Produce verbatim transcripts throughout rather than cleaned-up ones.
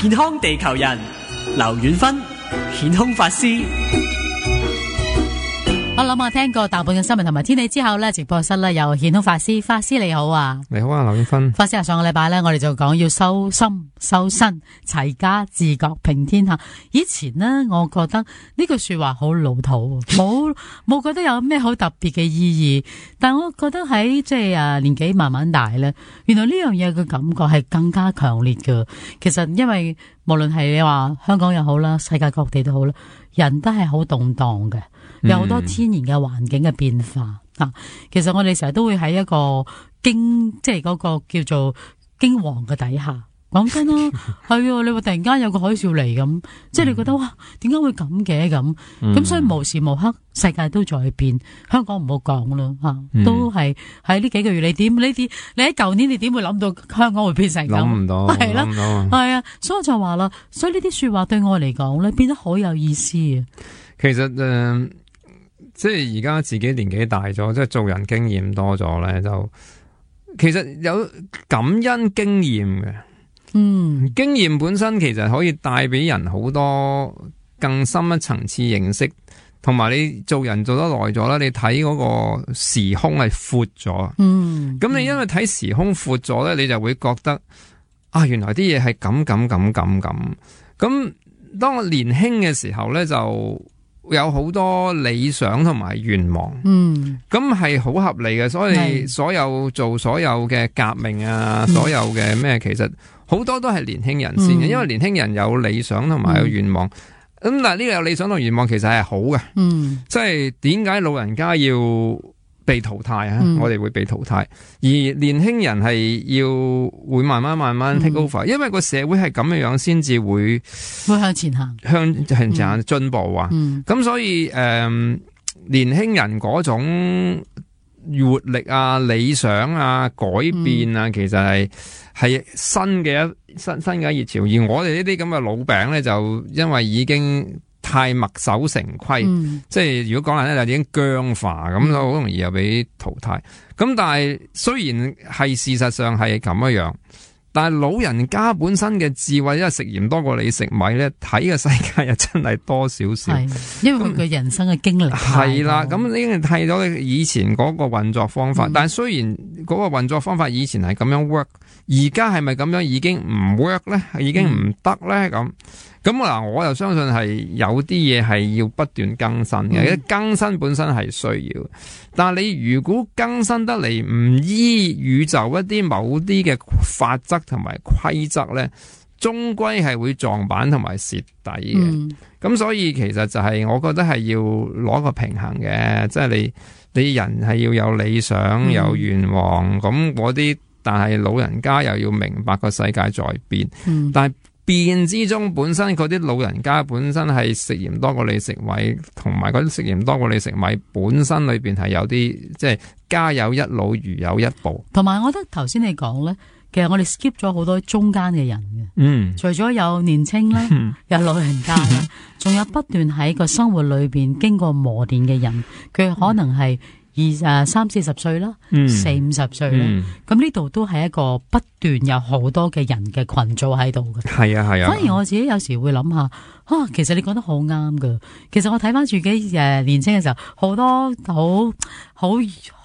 健康地球人劉遠芬顯空法師。我諗我聽過大半嘅新聞同埋天氣之後呢，直播室呢有顯空法師，法師你好啊。你好啊，劉遠芬。法師啊，上個禮拜呢，我哋就講要修心修身齊家治國平天下。以前呢，我覺得呢句說話好老土，冇冇覺得有咩好特別嘅意義。但我覺得喺即係啊年紀慢慢大呢，原來呢樣嘢嘅感覺係更加強烈㗎。其實因為無論係你話香港又好啦，世界各地都好啦，人都係好動盪嘅。有好多天然嘅環境嘅變化、嗯啊、其實我哋成日都會喺一個驚，即係嗰個叫做驚惶嘅底下。講真啦，係你話突然間有個海嘯嚟咁，即係你覺得哇，點解會咁嘅咁？咁、嗯、所以無時無刻世界都在變，香港唔好講啦吓，都係喺呢幾個月你點呢啲？你喺舊年你點會諗到香港會變成咁？諗唔到，係啦，係啊，啊，所以我就話啦，所以呢啲說話對我嚟講咧，變得好有意思啊。其實誒。呃即係而家自己年紀大咗，即係做人經驗多咗咧，就其實有感恩經驗嘅。嗯，經驗本身其實可以帶俾人好多更深一層次認識，同埋你做人做得耐咗啦，你睇嗰個時空係闊咗。嗯，咁你因為睇時空闊咗咧，你就會覺得啊，原來啲嘢係咁咁咁咁咁。咁當我年輕嘅時候咧，就有好多理想同埋願望，嗯，咁係好合理嘅，所以所有做所有嘅革命啊，嗯、所有嘅咩，其實好多都係年輕人先嘅，嗯、因為年輕人有理想同埋有願望，咁、嗯、但係呢個有理想同願望其實係好嘅，嗯，即係點解老人家要被淘汰啊？嗯、我哋會被淘汰，而年輕人係要會慢慢慢慢 take over，、嗯、因為個社會係咁嘅樣先至會會向前行，向向前行進步啊！咁、嗯、所以誒、呃，年輕人嗰種活力啊、理想啊、改變啊，嗯、其實係係新嘅一新新嘅熱潮，而我哋呢啲咁嘅老餅咧，就因為已經太墨守成規，嗯、即係如果講嚟咧就已經僵化，咁好、嗯、容易又俾淘汰。咁但係雖然係事實上係咁樣樣，但係老人家本身嘅智慧，因為食鹽多過你食米咧，睇嘅世界又真係多少少。因為佢嘅人生嘅經歷係啦，咁已經睇咗以前嗰個運作方法。嗯、但係雖然嗰個運作方法以前係咁樣 work，而家係咪咁樣已經唔 work 咧？已經唔得咧咁。咁嗱，我又相信係有啲嘢係要不斷更新嘅，嗯、更新本身係需要。但係你如果更新得嚟唔依宇宙一啲某啲嘅法則同埋規則咧，終歸係會撞板同埋蝕底嘅。咁、嗯、所以其實就係我覺得係要攞個平衡嘅，即係你你人係要有理想、嗯、有願望，咁嗰啲，但係老人家又要明白個世界在變，嗯、但係變之中本身嗰啲老人家本身係食鹽多過你食米，同埋嗰啲食鹽多過你食米本身裏邊係有啲即係家有一老如有一寶。同埋我覺得頭先你講咧，其實我哋 skip 咗好多中間嘅人嘅，嗯，除咗有年青啦，嗯、有老人家啦，仲有不斷喺個生活裏邊經過磨練嘅人，佢可能係二誒三四十歲啦，嗯、四五十歲啦，咁呢度都係一個不斷有好多嘅人嘅群組喺度嘅。係啊係啊，反而我自己有時會諗下，啊，其實你講得好啱噶。其實我睇翻自己誒年輕嘅時候，好多好好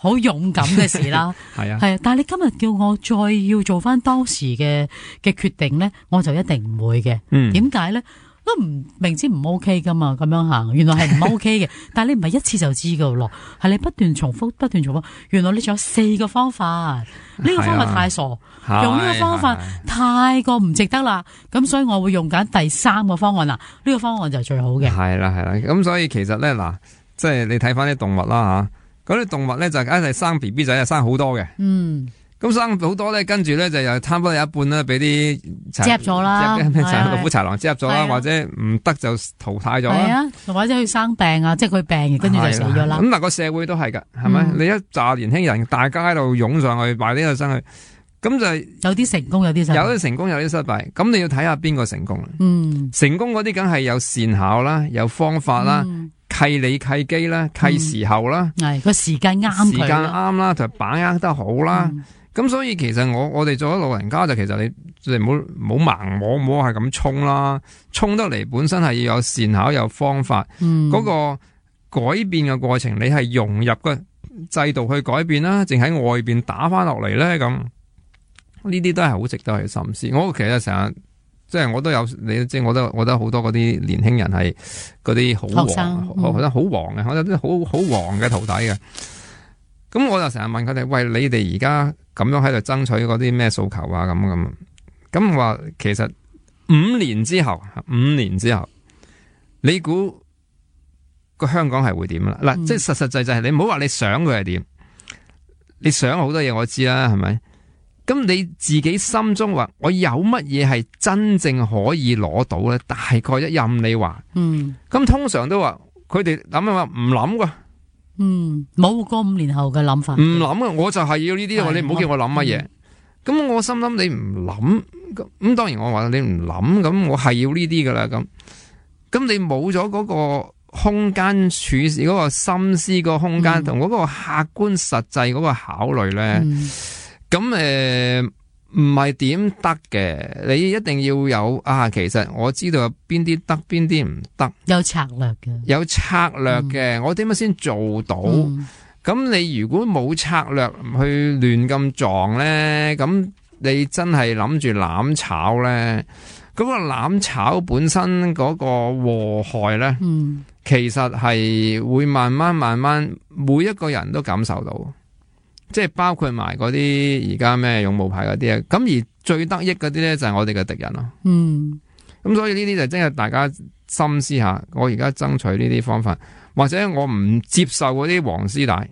好勇敢嘅事啦。係啊係啊，但係你今日叫我再要做翻當時嘅嘅決定咧，我就一定唔會嘅。嗯，點解咧？都唔明知唔 OK 噶嘛，咁樣行，原來係唔 OK 嘅。但係你唔係一次就知噶咯，係你不斷重複，不斷重複。原來你仲有四個方法，呢、這個方法太傻，啊、用呢個方法太過唔值得啦。咁所以我會用緊第三個方案啦。呢、這個方案就係最好嘅。係啦係啦，咁所以其實咧嗱，即係你睇翻啲動物啦吓，嗰啲動物咧就一係生 B B 仔，係生好多嘅。嗯。咁生好多咧，跟住咧就又差唔多有一半啦，俾啲執咗啦，老虎豺狼執咗啦，或者唔得就淘汰咗啦。係啊，或者佢生病啊，即係佢病，跟住就死咗啦。咁嗱，個社會都係噶，係咪？嗯、你一紮年輕人，大家喺度湧上去，埋呢個生去，咁就有啲成功，有啲失敗，有啲成功，有啲失敗。咁你要睇下邊個成功啦。嗯，成功嗰啲梗係有善巧啦，有方法啦。嗯，契理契機啦，契時候啦，係個、嗯、時間啱，時間啱啦，就把握得好啦。咁、嗯、所以其實我我哋做咗老人家就其實你即係唔好唔好盲摸摸係咁衝啦，衝得嚟本身係要有善巧有方法，嗰、嗯、個改變嘅過程，你係融入個制度去改變啦，淨喺外邊打翻落嚟咧，咁呢啲都係好值得去深思。我其實成日即係我都有你，即係我都我覺得好多嗰啲年輕人係嗰啲好黃，我覺得好黃嘅，我覺得好好黃嘅徒弟嘅。咁我就成日問佢哋，喂，你哋而家咁樣喺度爭取嗰啲咩訴求啊？咁咁，咁話其實五年之後，五年之後，你估個香港係會點啦？嗱、嗯，即係實實際際係你唔好話你想佢係點，你想好多嘢我知啦，係咪？咁你自己心中話，我有乜嘢係真正可以攞到咧？大概一任你話，嗯，咁通常都話佢哋諗啊話唔諗噶。嗯，冇過五年後嘅諗法。唔諗啊，我就係要呢啲，你唔好叫我諗乜嘢。咁、嗯、我心諗你唔諗，咁當然我話你唔諗，咁我係要呢啲噶啦。咁咁你冇咗嗰個空間處事，嗰、嗰個心思嗰個空間同嗰個客觀實際嗰個考慮咧，咁誒唔係點得嘅？你一定要有啊。其實我知道有邊啲得，邊啲唔得，有策略嘅，有策略嘅、嗯。我點樣先做到？咁、嗯、你如果冇策略去亂咁撞咧，咁你真係諗住攬炒咧？嗰、嗰個攬炒本身嗰個禍害咧、嗯，其實係會慢慢慢慢，每一個人都感受到。即係包括埋嗰啲而家咩勇武派嗰啲啊，咁而最得益嗰啲咧就係我哋嘅敵人咯。嗯，咁所以呢啲就真係大家深思下，我而家爭取呢啲方法，或者我唔接受嗰啲黃絲帶，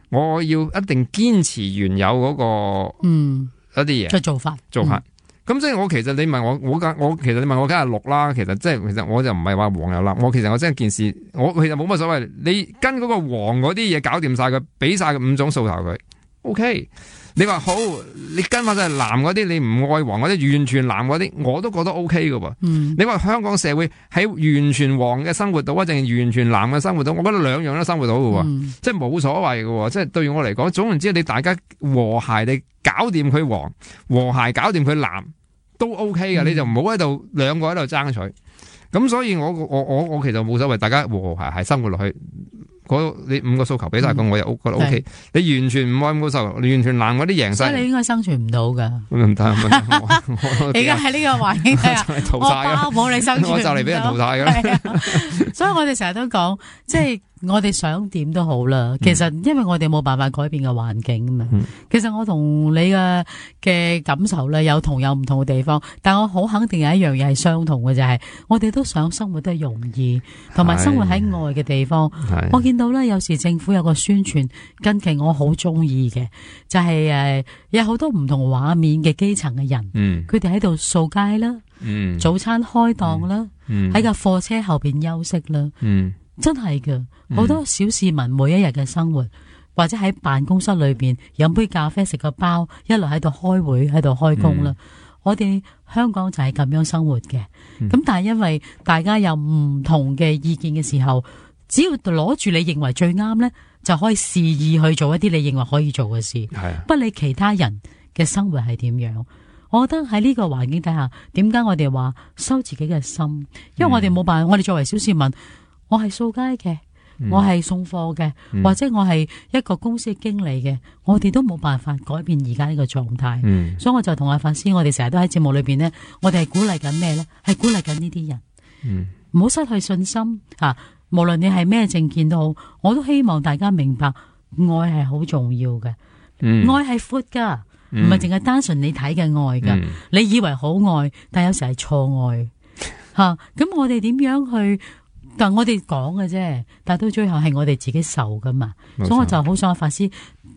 我要一定堅持原有嗰、嗰個嗯一啲嘢嘅做法做法。咁、嗯、即係我其實你問我，我梗我其實你問我梗係綠啦。其實即係其實我就唔係話黃又藍，我其實我真係件事，我其實冇乜所謂。你跟嗰個黃嗰啲嘢搞掂晒佢，俾晒佢五種訴求佢。O、okay, K， 你話好，你跟翻晒藍嗰啲，你唔愛黃嗰啲，完全藍嗰啲，我都覺得 O K 噶噃。嗯、你話香港社會喺完全黃嘅生活到，定係完全藍嘅生活到，我覺得兩樣都生活到噶、嗯，即係冇所謂噶。即係對我嚟講，總言之，你大家和諧地搞掂佢黃，和諧搞掂佢藍，都 O K 噶。你就唔好喺度兩個喺度爭取。咁所以我我我我其實冇所謂，大家和和諧諧生活落去。你五個訴求俾晒佢、嗯，我又覺得 O K。你完全唔愛五個訴求，你完全爛嗰啲贏晒，所以你應該生存唔到噶。唔得，唔得，而家喺呢個環境下，我包保你生存唔到。我就嚟俾人淘汰噶。所以我哋成日都講，即係我哋想點都好啦。其實因為我哋冇辦法改變嘅環境啊嘛、嗯。其實我同你嘅嘅感受咧有同有唔同嘅地方，但我好肯定有一樣嘢係相同嘅，就係、是、我哋都想生活得容易，同埋生活喺外嘅地方。我見到咧，有時政府有個宣傳，近期我好中意嘅，就係、是、誒有好多唔同畫面嘅基層嘅人，佢哋喺度掃街啦、嗯，早餐開檔啦，喺架貨車後邊休息啦、嗯，真係㗎，好多小市民每一日嘅生活，或者喺辦公室裏邊飲杯咖啡食個包，一路喺度開會喺度開工啦、嗯。我哋香港就係咁樣生活嘅，咁、嗯、但係因為大家有唔同嘅意見嘅時候。只要攞住你認為最啱呢，就可以肆意去做一啲你認為可以做嘅事，係不理其他人嘅生活係點樣。我覺得喺呢個環境底下，點解我哋話收自己嘅心？因為我哋冇辦法，我哋作為小市民，我係掃街嘅，我係送貨嘅、嗯，或者我係一個公司嘅經理嘅，我哋都冇辦法改變而家呢個狀態、嗯。所以我就同阿法師，我哋成日都喺節目裏邊呢，我哋係鼓勵緊咩呢？係鼓勵緊呢啲人，唔、嗯、好失去信心啊！無論你係咩政見都好，我都希望大家明白，愛係好重要嘅、嗯，愛係闊噶，唔係淨係單純你睇嘅愛噶、嗯。你以為好愛，但有時係錯愛吓。咁、啊、我哋點樣去？但我哋講嘅啫，但到最後係我哋自己受噶嘛。所以我就好想阿法師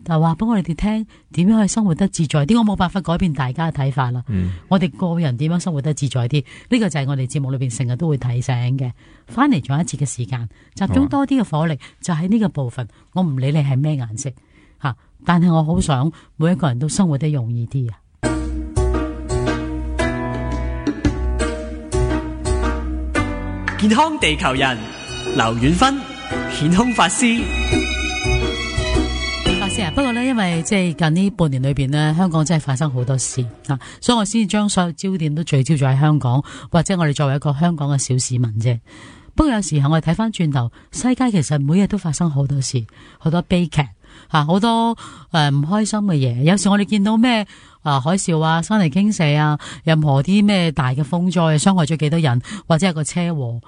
就話俾我哋哋聽，點樣去生活得自在啲。我冇辦法改變大家嘅睇法啦、嗯。我哋個人點樣生活得自在啲？呢、這個就係我哋節目裏邊成日都會提醒嘅。翻嚟仲有一次嘅時間，集中多啲嘅火力，就喺呢個部分。我唔理你係咩顏色吓，但係我好想每一個人都生活得容易啲啊！健康地球人劉遠芬，顯空法師。法師先啊，不過咧，因為即係近呢半年裏邊咧，香港真係發生好多事啊，所以我先將所有焦點都聚焦咗喺香港，或者我哋作為一個香港嘅小市民啫。不過有時候我哋睇翻轉頭，世界其實每日都發生好多事，好多悲劇吓，好多誒唔開心嘅嘢。有時我哋見到咩啊海嘯啊、山泥傾瀉啊，任何啲咩大嘅風災，傷害咗幾多人，或者係個車禍，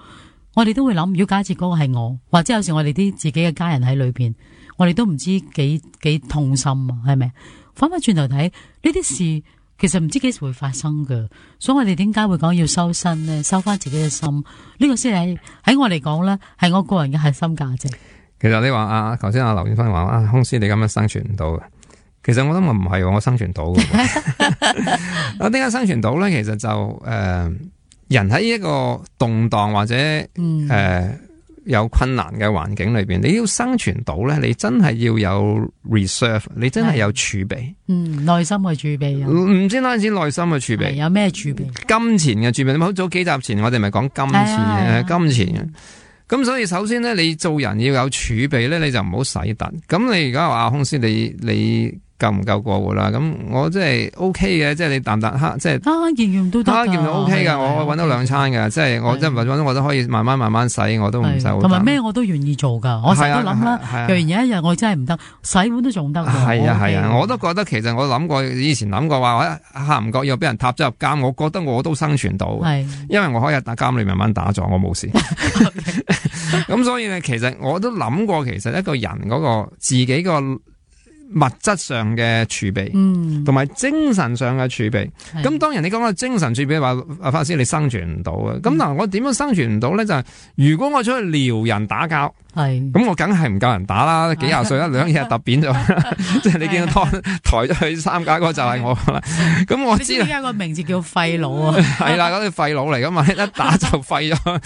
我哋都會諗，如果假設嗰個係我，或者有時我哋啲自己嘅家人喺裏邊，我哋都唔知幾幾痛心啊，係咪？翻翻轉頭睇呢啲事，其實唔知幾時會發生㗎，所以我哋點解會講要收身呢？收翻自己嘅心，呢、這個先係喺我嚟講咧，係我個人嘅核心價值。其實你話啊，頭先阿劉遠芬話啊，空師你咁樣生存唔到嘅，其實我諗我唔係，我生存到嘅。我點解生存到咧？其實就誒、呃，人喺一個動盪或者誒。嗯呃有困難嘅環境裏邊，你要生存到咧，你真係要有 reserve， 你真係有儲備。嗯，內心嘅儲備。唔知單止內心嘅儲備，有咩儲備？金錢嘅儲備。你好早幾集前我哋咪講金錢嘅，金錢嘅。咁所以首先咧，你做人要有儲備咧，你就唔好使突。咁你而家話空師，你你。夠唔夠過活啦？咁我即係 O K 嘅，即係你啖啖黑，即係慳慳儉儉都得，慳慳儉儉 O K 噶。我搵到兩餐噶，即係我即係搵到我都可以慢慢慢慢使，我都唔使好。同埋咩我都願意做噶。我成日都諗啦，若然有一日我真係唔得，洗碗都仲得。係啊係啊，我都覺得其實我諗過，以前諗過話，下唔覺又俾人踏咗入監，我覺得我都生存到。係，因為我可以喺監裏慢慢打坐，我冇事。咁所以咧，其實我都諗過，其實一個人嗰個自己個。物質上嘅儲備，嗯，同埋精神上嘅儲備。咁當然你講個精神儲備話，阿法師你生存唔到啊。咁嗱，我點樣生存唔到咧？就係、是、如果我出去撩人打交，係咁我梗係唔夠人打啦。幾廿歲啦，兩嘢揼扁咗，即係你見到抬抬咗去三架嗰個就係我啦。咁我知啦。點解個名字叫廢佬啊？係啦，嗰啲廢佬嚟噶嘛，一打就廢咗。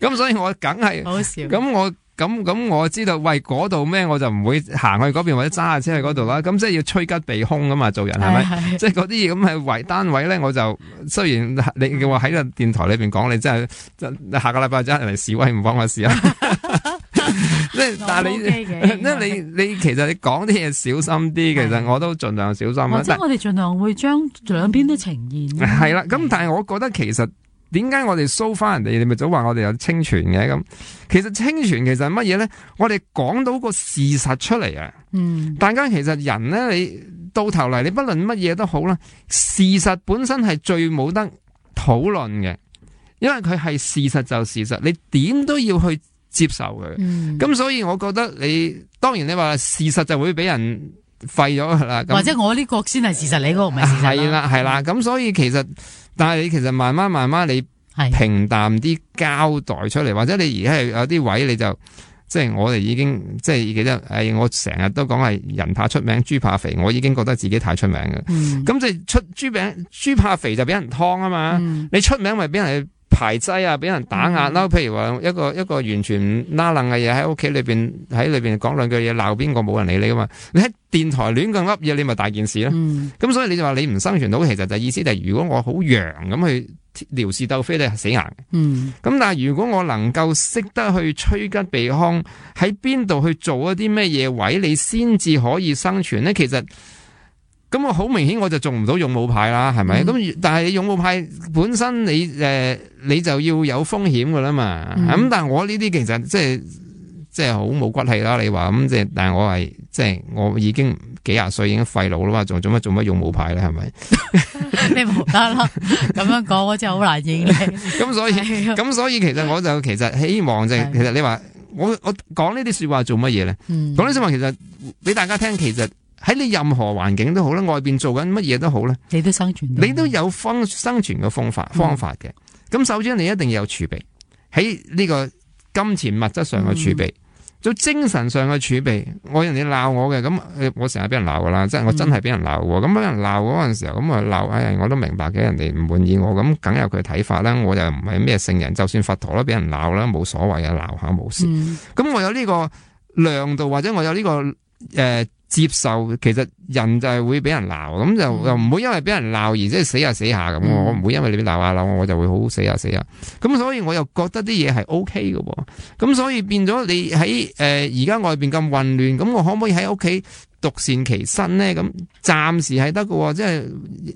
咁所以我梗係好笑。咁我。咁咁我知道，喂嗰度咩我就唔會行去嗰邊或者揸下車去嗰度啦。咁即係要趨吉避凶噶嘛，做人係咪？即係嗰啲嘢咁係為單位咧，我就雖然你嘅話喺個電台裏邊講，你真係下個禮拜真係嚟示威唔關我事啊。即係但係你，即係你你其實你講啲嘢小心啲，其實我都盡量小心啦。即係我哋盡量會將兩邊都呈現。係啦，咁但係我覺得其實。點解我哋搜翻人哋？你咪早話我哋有清泉嘅咁。其實清泉其實係乜嘢咧？我哋講到個事實出嚟啊！嗯，大家其實人咧，你到頭嚟，你不論乜嘢都好啦，事實本身係最冇得討論嘅，因為佢係事實就事實，你點都要去接受佢。咁、嗯、所以我覺得你當然你話事實就會俾人廢咗噶啦，或者我呢個先係事實，你嗰個唔係事實。係啦係啦，咁所以其實。但係你其實慢慢慢慢你平淡啲交代出嚟，或者你而家係有啲位你就即係我哋已經即係記得，誒我成日都講係人怕出名豬怕肥，我已經覺得自己太出名嘅。咁、嗯、即係出豬餅豬怕肥就俾人劏啊嘛、嗯，你出名咪俾人排擠啊，俾人打壓啦、嗯。譬如話一個一個完全唔拉楞嘅嘢喺屋企裏邊喺裏邊講兩句嘢鬧邊個冇人理你噶嘛，你喺電台亂咁噏嘢，你咪大件事啦。咁、嗯、所以你就話你唔生存到，其實就意思就係如果我好揚咁去撩事鬥非，你係死硬嘅。咁、嗯、但係如果我能夠識得去趨吉避凶，喺邊度去做一啲咩嘢位，你先至可以生存咧。其實咁我好明顯我就做唔到勇武派啦，係咪？咁、嗯、但係勇武派本身你誒、呃、你就要有風險噶啦嘛。咁、嗯、但係我呢啲其實即係即係好冇骨氣啦。你話咁即係，但係我係即係我已經幾廿歲已經廢老啦嘛，仲做乜做乜勇武派咧？係咪？你冇得啦，咁樣講我真係好難應你。咁所以咁所以其實我就其實希望就係、其實你話我我講呢啲說話做乜嘢咧？講呢啲說話其實俾大家聽，其實。喺你任何環境都好啦，外邊做緊乜嘢都好啦，你都生存，你都有方生存嘅方法方法嘅。咁、嗯、首先你一定要有儲備，喺呢個金錢物質上嘅儲備，做、嗯、精神上嘅儲備。我人哋鬧我嘅，咁我成日俾人鬧噶啦，即係我真係俾人鬧喎。咁俾人鬧嗰陣時候，咁啊鬧，哎我都明白嘅，人哋唔滿意我，咁梗有佢睇法啦。我又唔係咩聖人，就算佛陀都俾人鬧啦，冇所謂啊，鬧下冇事。咁、嗯、我有呢個量度，或者我有呢、這個誒。呃接受，其實人就係會俾人鬧，咁就又唔會因為俾人鬧而即係死下死下咁、嗯。我唔會因為你俾鬧下鬧我，我就會好死下死下。咁所以我又覺得啲嘢係 O K 嘅。咁所以變咗你喺誒而家外邊咁混亂，咁我可唔可以喺屋企獨善其身咧？咁暫時係得嘅，即係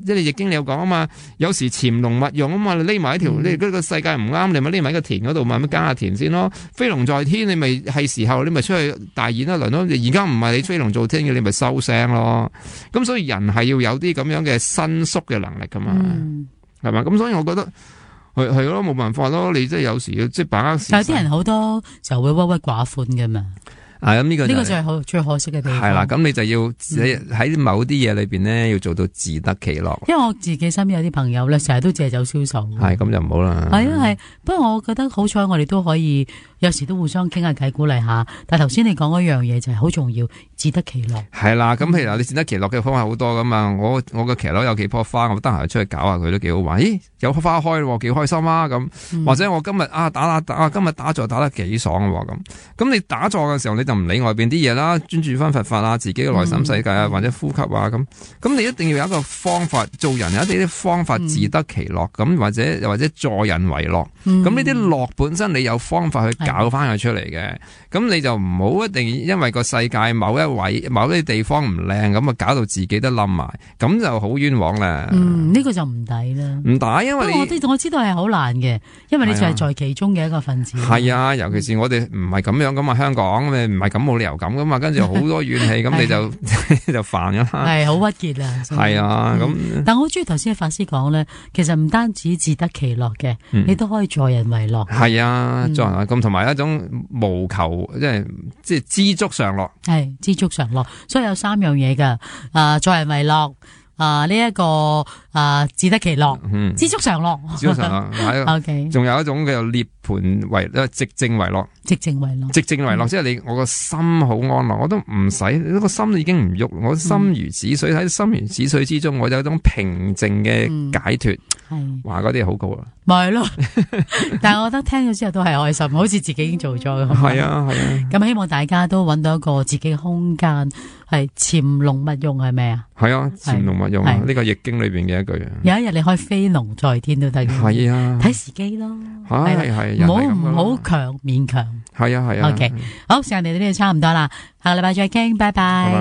即係易經你有講啊嘛，有時潛龍勿用啊嘛，你匿埋一條，你嗰個世界唔啱，你咪匿埋喺個田嗰度，慢慢耕下田先咯。飛龍在天，你咪係時候，你咪出去大演一輪咯。而家唔係你飛龍在天嘅，你咪收聲咯。咁所以人係要有啲咁樣嘅伸縮嘅能力噶嘛，係嘛、嗯？咁所以我覺得係係咯，冇辦法咯。你即係有時要即係把握時勢。有啲人好多就會鬱鬱寡歡噶嘛。啊，咁呢個呢個就係好最可惜嘅地方。係啦，咁你就要喺某啲嘢裏邊咧，要做到自得其樂。因為我自己身邊有啲朋友咧，成日都借酒消愁。係咁就唔好啦。係啊係，不過我覺得好彩，我哋都可以有時都互相傾下偈，鼓勵下。但係頭先你講嗰樣嘢就係好重要，自得其樂。係啦，咁譬如你自得其樂嘅方法好多噶嘛。我我個騎樓有幾棵花，我得閒出去搞下佢都幾好玩。咦，有花開喎，幾開心啊！咁、嗯、或者我今日啊打打打啊，今日打坐打得幾爽喎咁。咁你打坐嘅時候，你就唔理外邊啲嘢啦，專注翻佛法啊，自己嘅內心世界啊，嗯、或者呼吸啊咁。咁你一定要有一個方法，做人有一啲啲方法自得其樂咁，或者又或者助人為樂。咁呢啲樂本身你有方法去搞翻佢出嚟嘅。咁的你就唔好一定因為個世界某一位某啲地方唔靚咁啊，搞到自己都冧埋，咁就好冤枉啦。嗯，呢、這個就唔抵啦。唔抵，因為你我我知道係好難嘅，因為你就係在其中嘅一個分子。係啊，尤其是我哋唔係咁樣咁啊，香港咪唔係咁冇理由咁噶嘛，跟住好多怨氣，咁你就就煩噶啦。係好鬱結啊。係啊，咁、嗯、但我好中意頭先法師講咧，其實唔單止自得其樂嘅，嗯、你都可以助人為樂。係啊，助人咁同埋一種無求，即係即係知足常樂。係知足常樂，所以有三樣嘢噶，啊助人為樂。啊！呢一、這個啊，自得其樂，嗯、知足常樂，知足常樂。O K，仲有一種叫做涅槃為，寂靜為樂，寂靜為樂，寂靜為樂，嗯、即係你我個心好安樂，我都唔使，呢個心已經唔喐，我心如止水，喺、嗯、心如止水之中，我有一種平靜嘅解脫。係話嗰啲好高啊！咪係咯，但係我覺得聽咗之後都係開心，好似自己已經做咗咁。係啊係啊，咁希望大家都揾到一個自己嘅空間，係潛龍勿用，係咪啊？係啊，潛龍勿用啊！呢個易經裏邊嘅一句啊。有一日你可以飛龍在天都得嘅。係啊，睇時機咯。係係，唔好唔好強勉強。係啊係啊。OK，好，時間嚟到呢度差唔多啦，下個禮拜再傾，拜拜。